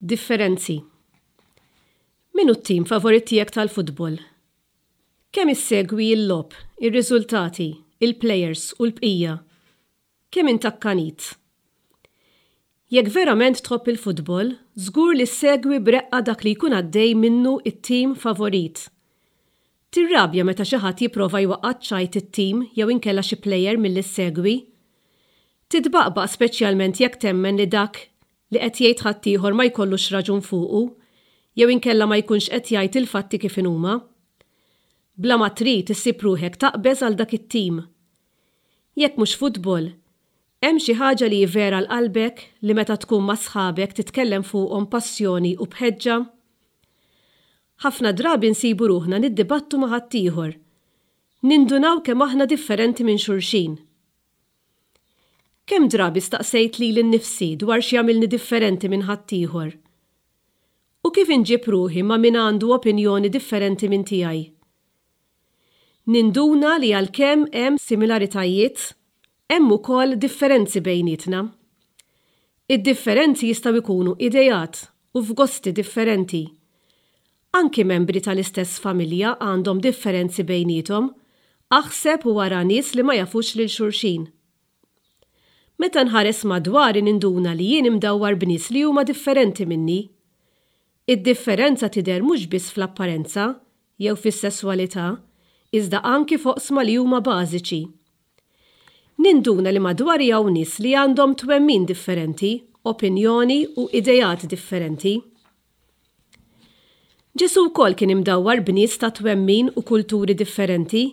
Differenzi. Min hu t-tim favorit tiegħek tal-futbol? Kemm issegwi l-logħob, ir-riżultati, il-plejers u l-bqija? Kemm int akkanit? Jekk verament tħobb il-futbol, żgur li ssegwi b'reqqa dak li jkun għaddej minnu t-tim favorit. Tirrabja meta xi ħadd jipprova jwaqqa' ċ-ċajt it-tim jew inkella xi plejer milli ssegwi. Titbaqbaq speċjalment jekk temmen li dak li qed jgħid ħaddieħor ma jkollux raġun fuqu jew inkella ma jkunx qed jgħid il-fatti kif inhuma. Bla ma trid issib ruħek taqbeż għal dak it-tim. Jekk mhux futbol, hemm xi ħaġa li hi vera għal qalbek li meta tkun ma' sħabek titkellem fuqhom b'passjoni u b'ħeġġa? Ħafna drabi nsibu ruħna niddibattu ma' ħaddieħor. Nindunaw kemm aħna differenti minn xulxin. Kemm drabi staqsejt lili nnifsi dwar x'jagħmilni differenti minn ħaddieħor? U kif inġib ruħi ma' min għandu opinjoni differenti minn tiegħi? Ninduna li għalkemm hemm similaritajiet, hemm ukoll differenzi bejnietna. Id-differenzi jistgħu jkunu ideat u f'gosti differenti. Anki membri tal-istess familja għandhom differenzi bejniethom, aħseb u ara nies li ma jafux lil xulxin. Meta nħares madwari ninduna li jien imdawwar b'nies li huma differenti minni. Id-differenza tidher mhux biss fl-apparenza jew fis-sesswalità, iżda anki f'oqsma li huma bażiċi. Ninduna li madwari hawn nies li għandhom twemmin differenti, opinjoni u ideat differenti. Ġesù wkoll kien imdawwar b'nies ta' twemmin u kulturi differenti.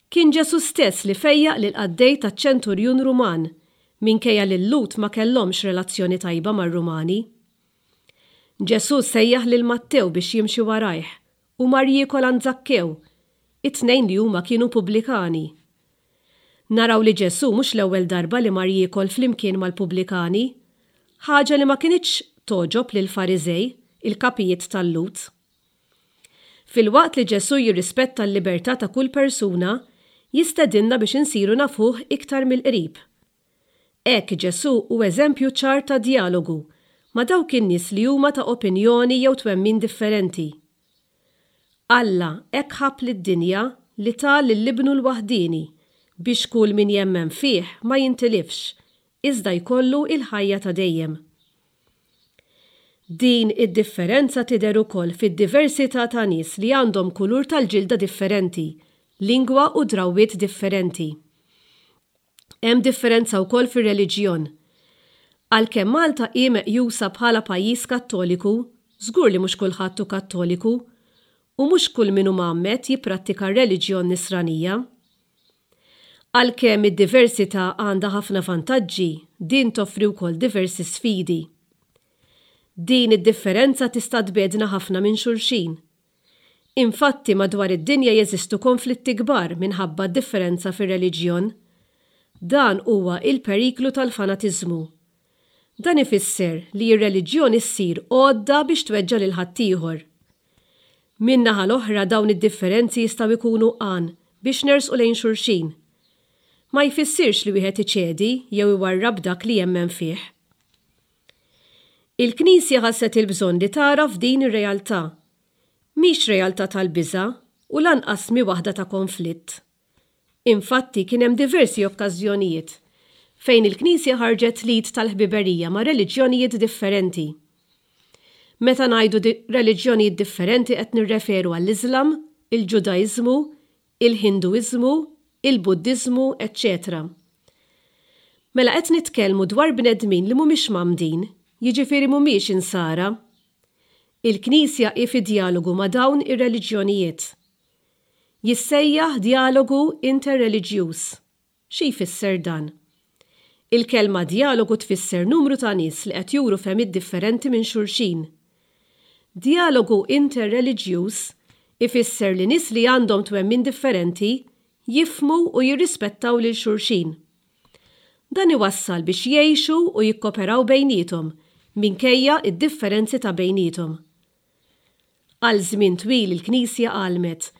Kien Ġesù stess li fejjaq lill-qaddej taċ-ċenturjun Ruman, minkejja li l-Lhud ma kellhomx relazzjoni tajba mar-Rumani. Ġesù sejjaħ lil Mattew biex jimxi warajh u mar jiekol għand Żakkew, it-tnejn li huma kienu pubblikani. Naraw li Ġesù mhux l-ewwel darba li mar jiekol flimkien mal-pubblikani, ħaġa li ma kinitx togħġob lill-Fariżej, il-kapijiet tal-Lhud. Filwaqt li Ġesù jirrispetta l-libertà ta' kull persuna, jistedinna biex insiru nafuh iktar mill-qrib. Hekk Ġesù hu eżempju ċar ta' djalogu ma' dawk in-nies li huma ta' opinjoni jew twemmin differenti. Alla hekk ħabb lid-dinja li ta lil Ibnu l-waħdieni, biex kull min jemmen fih ma jintilifx, iżda jkollu l-ħajja ta' dejjem. Din id-differenza tidher ukoll fid-diversità ta' nies li għandhom kulur tal-ġilda differenti, lingwa u drawwiet differenti. Hemm differenza wkoll fir-reliġjon. Għalkemm Malta hi meqjusa bħala pajjiż Kattoliku, żgur li mhux kulħadd hu Kattoliku u mhux kull min hu mgħammed jipprattika r-reliġjon Nisranija. Għalkemm id-diversità għandha ħafna vantaġġi, din toffri wkoll diversi sfidi. Din id-differenza tista' tbiegħdna ħafna minn xulxin. Infatti madwar id-dinja jeżistu konflitti kbar minħabba d-differenza fir-reliġjon. Dan huwa il-periklu tal-fanatiżmu. Dan ifisser li r-reliġjon issir għodda biex tweġġa' lil ħaddieħor. Min-naħa l-oħra dawn id-differenzi jistgħu jkunu għan biex nersqu lejn xulxin. Ma jfissirx li wieħed iċedi jew iwarrab dak li jemmen fih. Il-Knisja ħasset il-bżonn li tagħraf din ir-realtà. Mhix realtà tal-biża' u lanqas mhi waħda ta' konflitt. Infatti kien hemm diversi okkażjonijiet fejn il-Knisja ħarġet l-id tal-ħbiberija ma' reliġjonijiet differenti. Meta ngħidu reliġjonijiet differenti qed nirreferu għall-Iżlam, il-Ġudaiżmu, il-Ħinduiżmu, il-Buddiżmu, eċċetera Mela qed nitkellmu dwar bnedmin li mhumiex mgħammdin, jiġifieri mhumiex Insara. Il-Knisja hi fi djalogu ma' dawn ir-reliġjonijiet. Jissejjaħ djalogu interreliġjuż. Xi jfisser dan? Il-kelma djalogu tfisser numru ta' nies li qed juru fehmiet differenti minn xulxin. Djalogu interreliġjuż ifisser li nies li għandhom twemmin differenti jifhmu u jirrispettaw lil xulxin. Dan iwassal biex jgħixu u jikkoperaw bejniethom minkejja d-differenzi ta' bejniethom. Għal żmien twil il-Knisja għallmet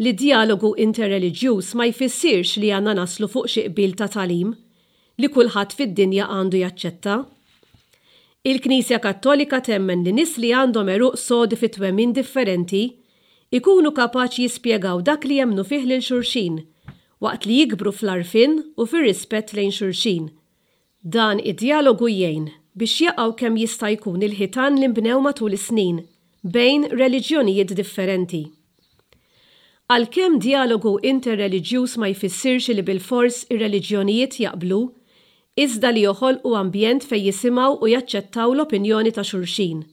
li djalogu interreliġjuż ma jfissirx li għandna naslu fuq xi qbil ta' tagħlim li kulħadd fid-dinja għandu jaċċetta. Il-Knisja Kattolika temmen li nies li għandhom għeruq sodi fi twemmin differenti jkunu kapaċi jispjegaw dak li jemmnu fih lil xulxin, waqt li jikbru fl-għarfien u fir-rispett lejn xulxin. Dan id-djalogu jgħin biex jaqgħu kemm jista' jkun il-ħitan li nbnew matul is-snin bejn reliġjonijiet differenti. Għalkemm djalogu interreliġjuż ma jfissirx li bilfors ir-reliġjonijiet jaqblu, iżda li joħolqu ambjent fejn jisimgħu u jaċċettaw l-opinjoni ta' xulxin.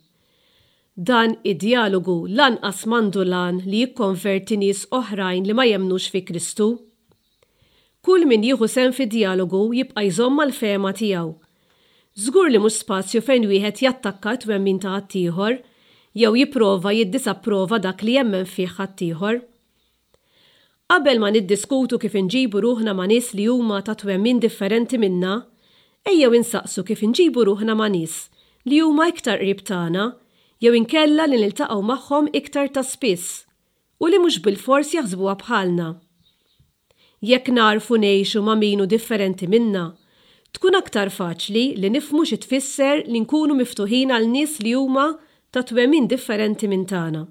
Dan id-djalogu lanqas m'għandu l-għan li jikkonverti nies oħrajn li ma jemmnux fi Kristu. Kull min jieħu sehem fid-djalogu jibqa' jżomm mal-fehma tiegħu. Żgur li mhux spazju fejn wieħed jattakka t-twemmin ta' ħaddieħor jew jipprova jiddisapprova dak li jemmen fih ħaddieħor. Qabel ma niddiskutu kif inġibu ruħna ma' nies li huma ta' twemmin differenti minna, ejjew insaqsu kif inġibu ruħna ma' nies li huma iktar qrib tagħna jew inkella li niltaqgħu magħhom iktar ta' spiss u li mhux bilfors jaħsbuha bħalna. Jekk nagħrfu ngħixu ma' min hu differenti minna, tkun aktar faċli li nifhmu xi tfisser li nkunu miftuħin għal nies li huma ta' twemmin differenti minn tagħna.